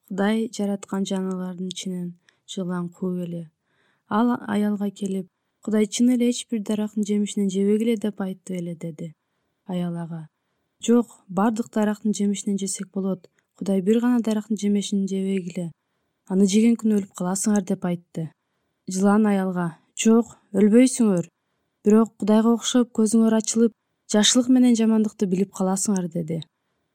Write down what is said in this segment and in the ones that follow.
Кудай жараткан жаныбарлардын ичинен жылан кууп эле. Ал аялга келип, Кудай чын эле эч бир дарактын жемишинен жебегиле деп айтты эле деди. Аял ага: жок, бардык дарактын жемишинен жесек болот. Кудай бир гана дарактын жемишин жебегиле. Аны жеген күнү өлүп каласыңар деп айтты. Жылан аялга: жок, өлбөйсүңөр. Бирок Кудайга окшоп көзүңөр ачылып, жакшылык менен жамандыкты билип каласыңар деди.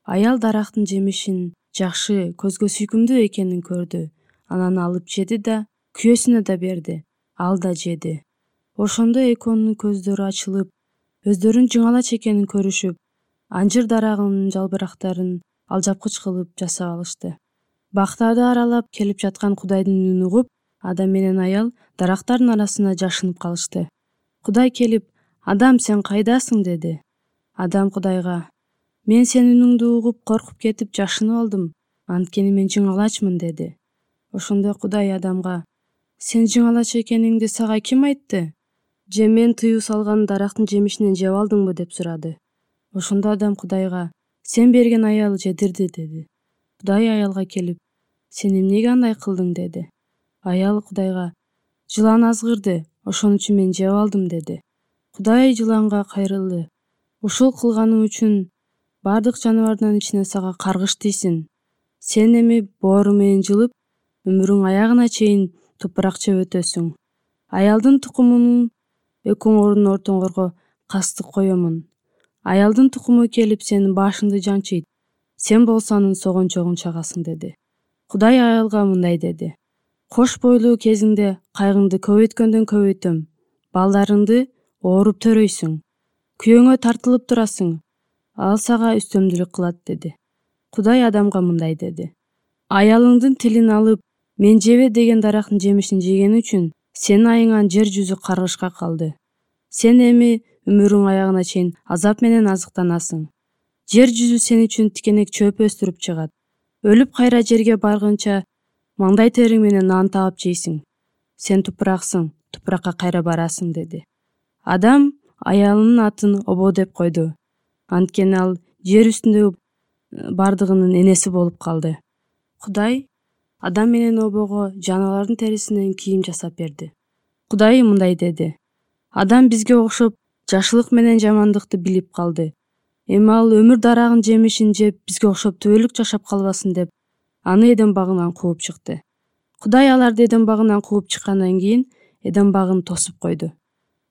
Аял дарактын жемишин жакшы, көзгө сүйкүмдүү экенин көрдү. Анан алып жеди да күйөөсүнө да берди. Ал да жеди. Ошондо экөөнүн көздөрү ачылып, өздөрүн жыңалач экенин көрүшүп, анжыр дарагынын жалбырактарын алжапкыч кылып жасап алышты. Бактарды аралап келип жаткан Кудайдын үнүн угуп, Адам менен аял дарактардын арасына жашынып калышты. Кудай келип: Адам, сен кайдасың деди. Адам Кудайга: мен сенин үнүңдү угуп коркуп кетип жашынып алдым, анткени мен жыңалачмын деди. Ошондо Кудай Адамга: сен жыңалач экениңди сага ким айтты? Же мен тыюу салган дарактын жемишинен жеп алдыңбы деп сурады. Ошондо Адам Кудайга: сен берген аял жедирди деди. Кудай аялга келип: сен эмнеге андай кылдың деди. Аял Кудайга: жылан азгырды, ошон үчүн мен жеп алдым деди. Кудай жыланга кайрылды: ушул кылганың үчүн бардык жаныбардын ичинен сага каргыш тийсин. Сен эми боору менен жылып, өмүрүң аягына чейин тупурак жеп өтөсүң. Аялдын тукумун экөөңөрдүн ортоңорго кастык коёмун. Аялдын тукуму келип сенин башыңды жанчыйт, сен болсо анын согончогун чагасың деди. Кудай аялга мындай деди: кош бойлуу кезиңде кайгыңды көбөйткөндөн көбөйтөм, балдарыңды ооруп төрөйсүң, күйөөңө тартылып турасың, ал сага үстөмдүлүк кылат деди. Кудай Адамга мындай деди: аялыңдын тилин алып, мен жебе деген дарактын жемишин жеген үчүн сенин айыңан жер жүзү каргышка калды. Сен эми өмүрүң аягына чейин азап менен азыктанасың. Жер жүзү сен үчүн тикенек чөп өстүрүп чыгат. Өлүп кайра жерге баргынча маңдай териң менен нан таап жейсиң. Сен тупураксың, тупуракка кайра барасың деди. Адам аялынын атын Обо деп койду, анткени ал жер үстүндөгү бардыгынын энеси болуп калды. Кудай Адам менен Обого жаныбарлардын терисинен кийим жасап берди. Кудай мындай деди: Адам бизге окшоп жакшылык менен жамандыкты билип калды. Эми ал өмүр дарагынын жемишин жеп бизге окшоп түбөлүк жашап калбасын деп аны Эдем багынан кууп чыкты. Кудай аларды Эдем багынан кууп чыккандан кийин Эдем багын тосуп койду.